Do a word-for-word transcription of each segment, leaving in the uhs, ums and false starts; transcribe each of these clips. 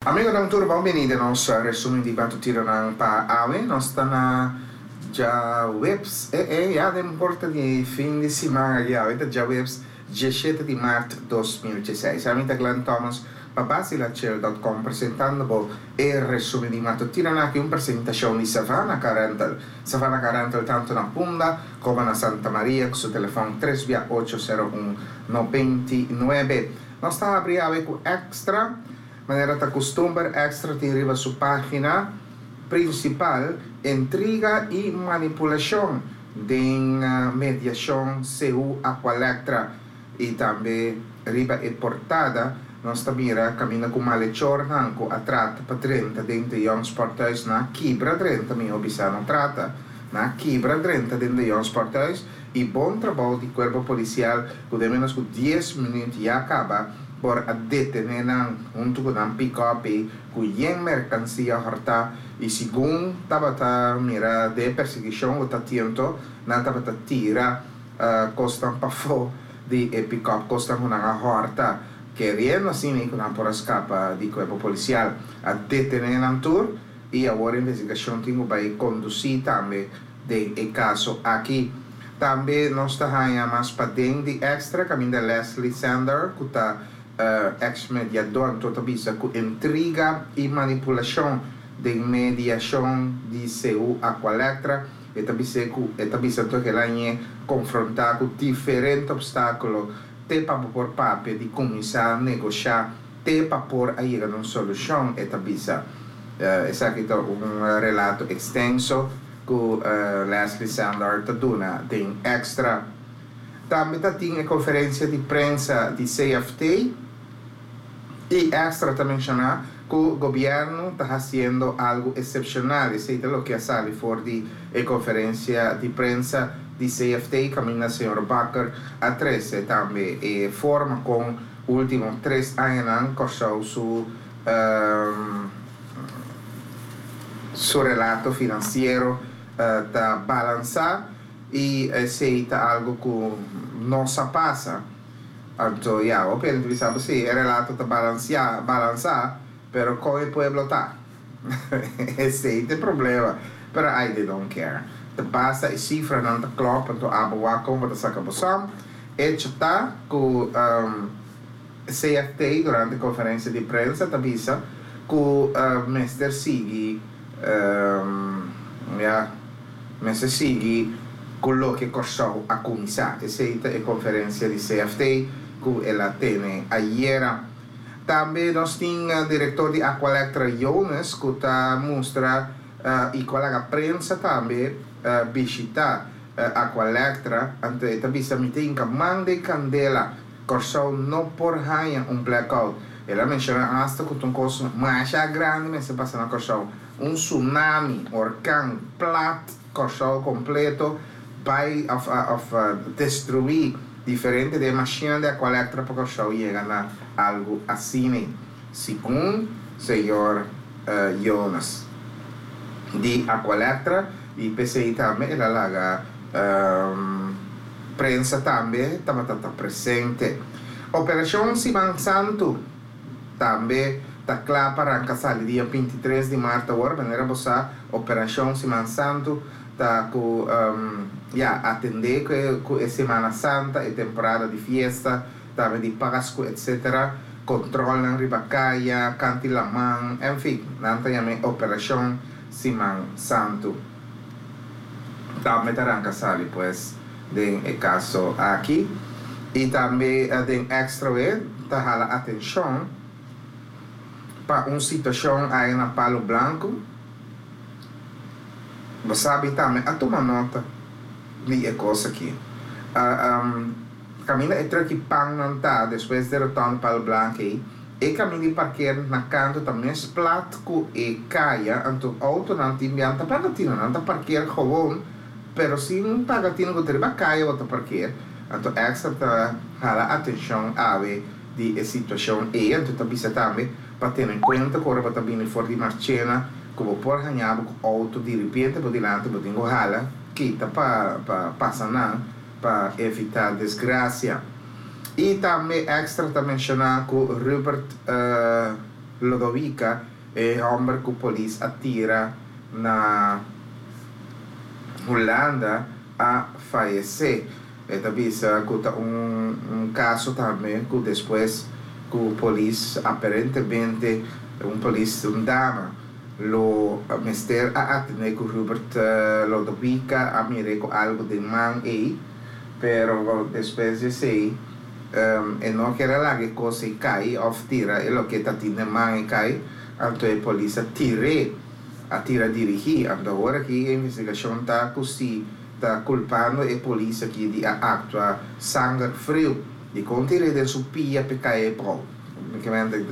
Amigonan tur, bon bini den nos resumen di matutinonan pa awe. Nos ta na djaweps, eh eh, ya den porta di fin di siman aki awe ta djaweps diesshete di mart dos mil diesseis. Ami ta Glenn Thomas pa Basilachel dot com presentando bo e resumen di matutinonan aki, un presentacion di Savannah Car Rental. Savannah Car Rental tanto na Punda como na Santa Maria cu su telefon tres bia ocho sero un noventa i nuebe. Nos ta habri awe cu Extra. Manera ta custumber, Extra tin riba su pagina principal intriga y manipulacion den mediacion C U Aqualectra. Y tambe riba e portada nos ta mira camina cu malhechornan cu a trata pa drenta den de Jong Sporthuis na kibra drenta, mi obisa no trata, na kibra drenta den de Jong Sporthuis y bon trabou di cuerpo policial cu de menos cu dies minuut ya acaba por a detener nan junto con nan pick-up cu yen mercancía horta y según tabata mira de perseguición o ta tiento nan tabata tira, eh, costan pafo di e pick-up costan con nan a horta queriendo así ni con nan por escapa di cuerpo policial a detener nan tour y ahora investigación tingo bay conducir tambe de e caso aquí. Tambe nos ta haya mas pa den di Extra caminda Leslie Sander cu ta, eh, ex-mediador, tota bisa cu intriga y manipulación de mediación di C U Aqualectra. Eta bisa cu, eta bisa to que la ñe confronta cu diferente obstáculo te pa por papia di comienza a negociar te pa por a llegar a una solución. Eta bisa, eh, esaki ta un relato extenso cu, eh, Leslie Sander ta duna den Extra. Tambe ta tin e conferencia di prensa di C F T y Extra ta menciona que el gobierno está haciendo algo excepcional. Eso es lo que sale for di e conferencia di prensa di C F T, camina señor Bakker a trece tambe e forma con último tres años corso su, um, su relato financiero, eh, ta balanza y ese ta algo que no se pasa. Entonces, ya, o bien, pensamos, sí, el relato está balanceado, balanzado, pero con el pueblo está. Ese es el problema. Pero I they don't care. Te pasa y cifra no te klop, entonces, abo como te saca bosam. Hecho está con, um, C F T durante conferencia de prensa te avisa que, uh, mister Sigui, um, ya, mister Sigui con lo que costó a comenzar. Esa es la conferencia de C F T que ela tiene ayer. También nos tiene el director de Aqualectra Jonas que está mostra, uh, y con la prensa también, uh, visita, uh, Aqualectra ante esta vista mi tinca mande candela Corsou no por haya un blackout. Ela menciona hasta que un costo más grande me se pasa na Corsou, un tsunami, orkan, plat Corsou completo by of, uh, of, uh, destruir diferente de machine de Aqualectra para Corsou llega a algo así, según señor, uh, Jonas de Aqualectra y P C I también la laga, um, prensa también estaba tata presente. Operación Siman Santo también está clara para arrancar el día veintitrés de marzo. Ahora manera bosa Operación Siman Santo está con, um, ya atender que, que es Semana Santa y temporada de fiesta también de Pascua, etcétera. Controlan Ribacaya, Cantilamán, en fin, nanta llame Operación Siman Santo. También arranca sali pues de el caso aquí y también, eh, de extra vez ta jala atención pa una situación ahí en Palo Blanco. Vos sabe también a tomar nota de a cosa aquí. Ah, um, camina entre que pan não tá depois de retorno Palo Blanco aí e caminho de parquear na canto também es plat ku e caia anto auto não tem bem tá pagatino não tá parquear gewoon pero sin pagatino ku terba caia ou tá parquear anto extra tá jala atenção ave de e situação e anto tá bisa também pa ter em conta que ora tá bem for de Marchena como por ganhar com auto de repente por delante por tengo jala quita pa pa passa não pa evitar desgraça. E também extra tá mencionar que Rupert, eh, Lodovica, e hòmber ku polis a tira na Hulanda, a fayesé. E ta bisa ku ta un, un kaso tambe ku despues ku polis aparentemente, un polis, un dama, lo mester a atendé ku Hubert uh, Lodovica, a mir'é ku algu den man ei, pero despues di esei um, e no ker a laga e kos ei kai òf tira e loke e tin den man ei kai, anto e polis a tir'é, a tira dirigí. Anto awor aki e investigashon ta ku si ta kulpando e polis aki di a aktua sanger friu, di kon tir'é den su pia p'e kai abou,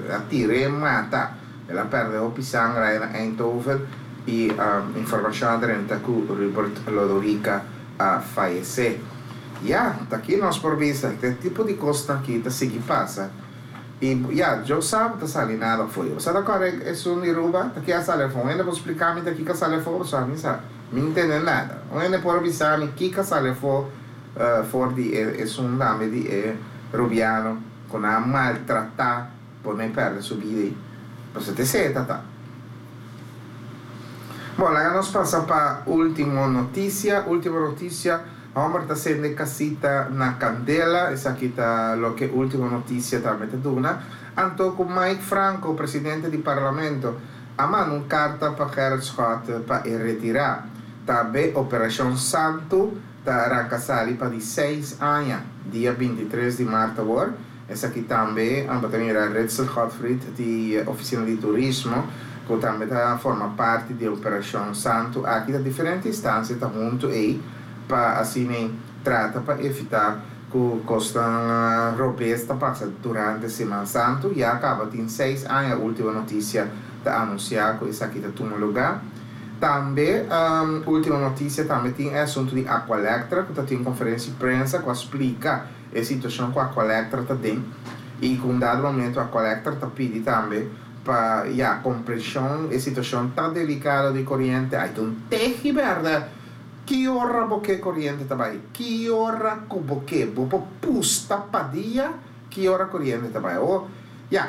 a tir'é mata. El a pèrdè hopi sanger ei na Eindhoven i um, informashon a drenta ku Rupert Lodovica a fayesé. Ja, aki nos por bisa, e tipo di kos aki ta sigui pasa. I ja, yo sabe ta sali nada foi. Bo sa kore esun di Aruba, ta ki a sali afó. Un por splika mi ta kiko a sali afó, so mi sa, mi no tende nada. Un por bisa mi kiko a sali afó uh, for di esun name di e rubiano ku nan a maltratá pone pèrdè su bida. Pues te seta ta. Bon, laga nos pasa pa último notisia, último notisia. Hòmber ta sende kasita na kandela, esaki ta loke último notisia tambe ta duna. Anto ku Mike Franco, presidente di parlamento, a manda un karta pa Gerrit Schotte pa retirá. Tambe Operashon Santu ta ranka sali pa di seis aña, dia bintitres di mart awor. Esaki tambe, amba mira Ritzel Gottfried di Ofisina di Turismo, ku tambe ta forma parti di Operashon Santu. Aki ta diferente instansia ta huntu ei pa asina trata pa evitá ku kosnan robes ta pasa durante Siman Santu. Ya kaba tin seis aña, último notisia ta anunsiá ku esaki ta tuma lugá. Tambe um, último notisia tambe tin e asuntu di Aqualectra, ku tin konferensia di prensa ku a splika e situashon ku Aqualectra ta den i ku un dado momento Aqualectra ta pidi tambe pa, ja, komprenshon, e situashon ta delikado di koriente. Ai, un tehi bèrdat. Ki ora bo ke koriente ta bai? Ki ora ku bo ke? Bo por pusta pa dia ki ora koriente ta bai. O, ja,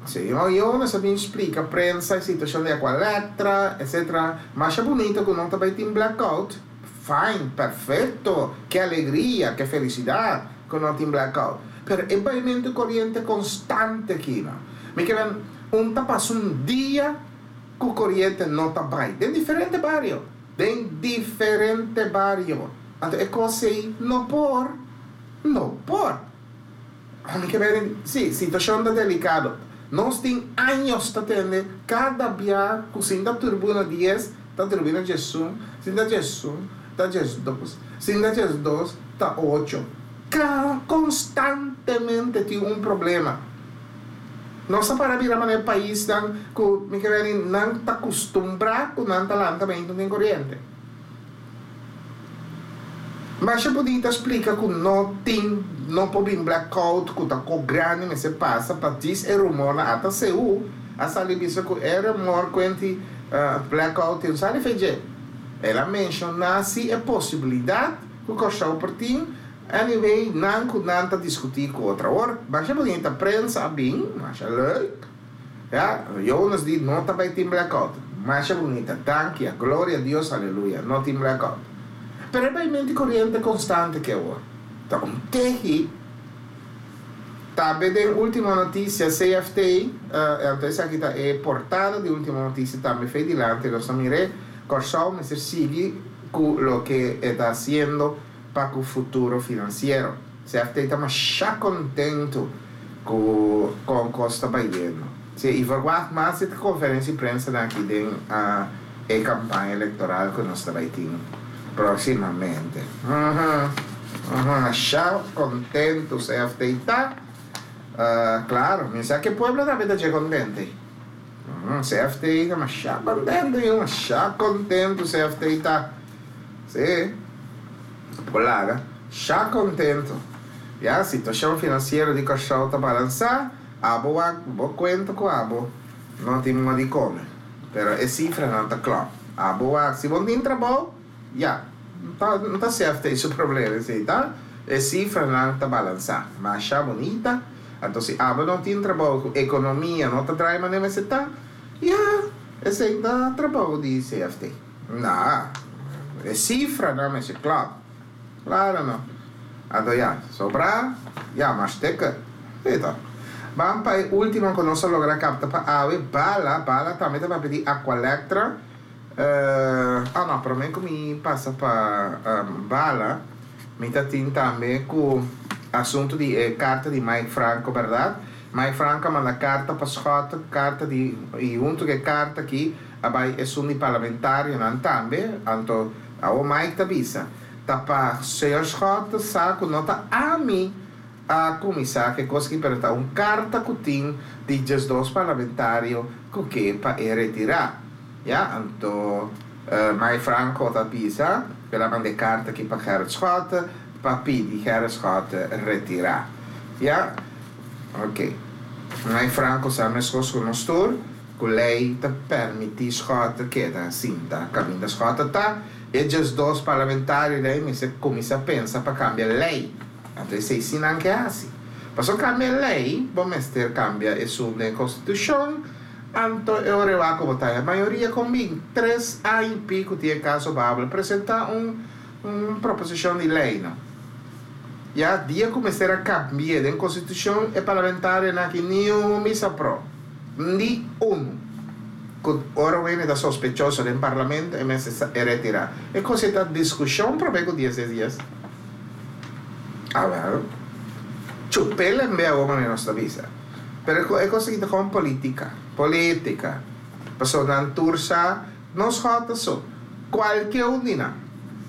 si, yo, yo no sa splika prensa, situashon di Aqualectra, et cetera. Masha bunita ku no ta bai tin blackout. Fine, perfekto. Ke alegria, ke felisidat ku no tin blackout. Pero e baimentu koriente konstante aki, no? Mi ke un ta pasa un dia ku koriente no ta bai. Den diferente bario. Den diferente bario. Anto e kos no por, no por. Ami ke ber, si, situashon ta delikado. Nos tin aña ta tende kada dia ku sinta turbina dies, ta turbina diesun, sinta diesun, ta diesdos, sinta diesdos, ta ocho. Ka konstantemente tin un problema. Nos a para bira manera paisnan ku mi ke ber nan ta kustumbrá ku nan ta lanta den koriente. Mas ya podia explica que não tem, não pode blackout, que tá com grande, mas se passa para diz é rumor na ata C U, a salir bisa que é rumor quanti uh, blackout tem sabe feje. Ela menciona se é possibilidade que o cachorro por. Anyway, nan ku nan ta diskutí ku otro ora. Mas ya podia prensa bem, mas é leuk. Ja, Jonas di no ta bai tin blackout. Masha bunita, danki, gloria a Dios, aleluya, no tin blackout. Pero e baimentu koriente konstante ku awor. Ta un tehi. Tambe di último notisia, C F T, uh, anto esaki ta e portada di último notisia tambe fei dilanti, nos mira, Kòrsou mester sigui ku loke e ta hasiendo pa e futuro finansiero. C F T ta masha kontentu ku ku kos ta bayendo. Si, i verwacht mas e konferensia di prensa aki den uh, e kampaña elektoral ku nos ta tin próksimamente. Uhum. Uhum. Masha kontentu C F T ta. Uh, klaro, mi sa ku pueblo tambe ta kontentu. Uhum. C F T ta masha kontentu, masha kontentu C F T ta. Si. Polaga, masha kontentu. Ja, situashon finansiero di Kòrsou ta balansá, abo bo kuenta ku abo no tin nada di kome. Pero e sifra no ta kla. Abo si bo tin trabou, ja, ta, no ta C F T su problema, si, ta? E sifra no ta balansá. Masha bunita. Anto si abo no tin trabou, ekonomia no ta drai manera mester ta, ya, esei ta trabou di C F T. No, e sifranan mester klòp. Klaro no. Anto ya, sobra, ya, mas teke. Eta. Ban pa e último ku nos a logra kapta pa awe, Bala, Bala tambe ta di Aqualectra. Uh, ah no, promé ku mi pasa pa um, Bala, mi tin tambe ku asuntu di eh, karta di Mike Franco, berdat? Mike Franco manda karta pa Schotte, karta di i huntu ku e karta aki, a bai esun di parlamentarionan tambe, anto a Mike ta bisa, ta pa señor Schotte sa ku no ta ami a kuminsá ku kos ku, pero ta un karta ku tin di dos parlamentario ku ke pa e retirá. Ja, anto uh, Mike Franco ta bisa, el a manda karta aki pa Gerrit Schotte, pa pidi Gerrit Schotte retirá. Ja? Ok. Mike Franco sa meskos ku nos tur, ku lei ta permití Schotte keda sinta kaminda Schotte ta, e dos parlamentarionan mester kuminsá pensa pa kambia lei. Anto, esei sí nan ke hasi. Paso kambia lei, bo mester kambia esun den konstitushon, anto e ora komo ta e mayoria kon bin tres aña i piku tin kaso Babel, presentá un un proposishon di lei, no? Ya dia ku mester a kambia den konstitushon, e parlamentarionan aki ni un a bisa pro. Ni un. Ora wene ta sospechoso den parlamento e mester retirá. E kos ta diskushon promé ku dies dia. Ah, well. Chupela en vez de nos avisa. Pero e kos ta ku polítika. Polítika. Paso nan tur sa, no Schotte so. Kualke un di nan.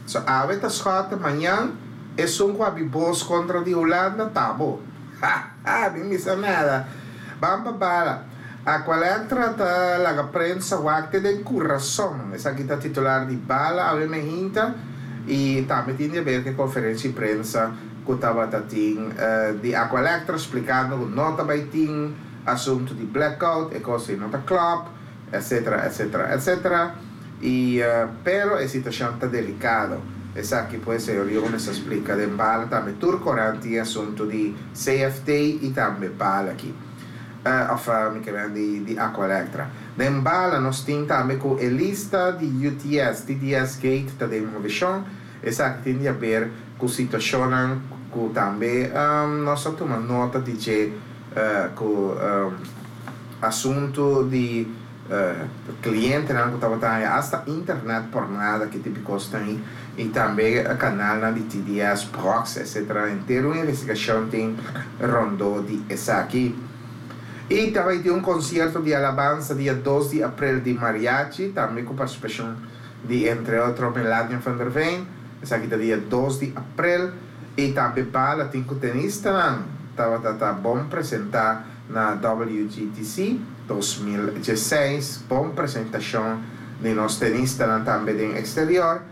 So awe ta Schotte, mañan esun ku habri bos kontra di Hulanda, ta bo. Ha, ha, ni misa nada. Ban pa Bala. Aqualectra ta laga prensa wak te den kurason. Esaki ta titular di Bala awe mainta i tambe tin di haber ku konferensia di prensa ku tabata tin uh, di Aqualectra splikando ku no ta bai tin asuntu di blackout e kos no ta klòp, et cetera et cetera et cetera. I uh, pero e situashon ta delikado. Esaki pues señor Jones a splika den Bala tambe. Tur korant tin asuntu di C F T i tambe Bala aki. Uh, of uh, mi ke di, di Aqualectra. Den Bala nos tin tambe ku e lista di U T S, T D S Gate ta den moveshon. Esaki tin di haber ku situashon ku tambe um, nos a tuma nota di ku uh, ku um, asuntu di uh, klientenan ku tabata hasta internet por nada ku típiko tin i tambe kanal di T D S, Prox, et cetera. Entero un investigashon tin rondó di esaki. I tambe tin un konsierto di alabansa dia dos di aprel di mariachi, tambe ku partisipashon di, entre otro, Melania van der Veen. Esaki ta dia dos di aprel. I tambe Bala tin ku tenistanan tabata ta bon presentá na W G T C dos mil diesseis, bon presentashon di nos tenistanan tambe den eksterior.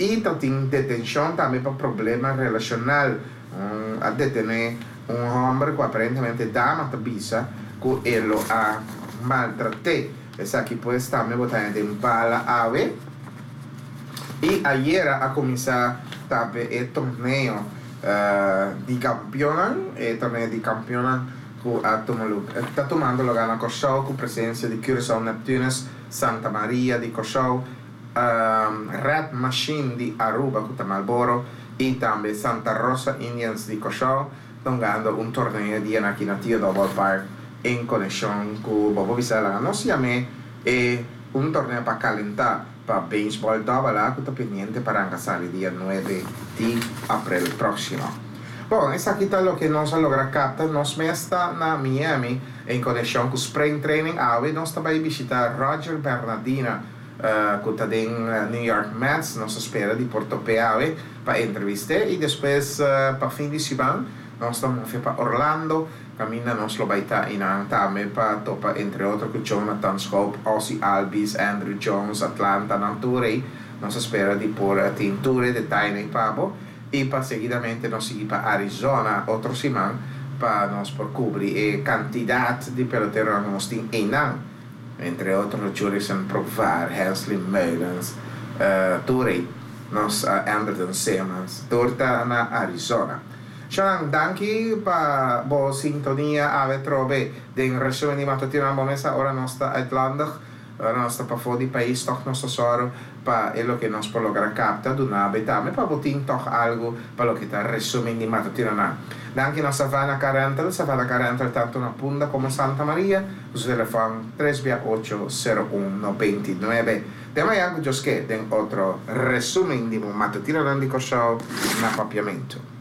I tin detenshon tambe pa problema relashonal. Um, a detené un hòmber ku aparentemente dama ta bisa ku el a maltrat'é. Esaki pues tambe bo ta haña den Bala awe. I ayera a kuminsá tambe e torneo uh, di kampeon, e torneo di kampeon ku ta tumando lugá na Kòrsou ku presensia di Curaçao Neptunus, Santa Maria di Kòrsou, um, Red Machine di Aruba ku Marlboro i tambe Santa Rosa Indians di Kòrsou, hungando un torneo di aki na Theodore Ballpark en konekshon ku Bobo Bisela. Nos yam'é e un torneo pa kalentá pa beisbòl double A ku ta pendiente pa sali dia nuebe di aprel próksimo. Bon, esaki ta loke nos a logra kapta. Nos mes ta na Miami en konekshon ku Spring Training. Awe nos ta bai bishitá Roger Bernadina, uh, ku ta den New York Mets. Nos ta spera di por top'é awe pa entrevist'é i despues uh, pa fin di siman nos ta pa Orlando. Kaminda nos lo bai ta einan tambe pa topa, entre otro, ku Jonathan Schoop, Ozzie Albies, Andruw Jones, Atlanta, nan tur. Nos ta spera di por tin tur detaye pa bo i pa seguidamente nos sigui pa Arizona otro siman pa nos por kubri e kantidat di pelotero nos tin einan. Entre otro, Jurickson Profar, Hensley Meulens, uh, tur, nos uh, Andrelton Simmons, tur ta na Arizona. Shan, danki pa bo sintonia awe trobe den resumen di matutino na mesa. Ora nos ta uitlandig, ora nos ta pafó di pais, toch nos ta sòru pa e loke nos por logra kapta, duna bo tambe pa bo tin toch algu pa loke ta resumen di matutinonan. Danki na Savannah Car Rental, Savannah Car Rental tantu na Punda komo Santa Maria, su telefòn tres ocho sero un nobenta i nuebe. Te mañan ku Dios ke den otro resumen di matutinonan di Kòrsou na Papiamentu.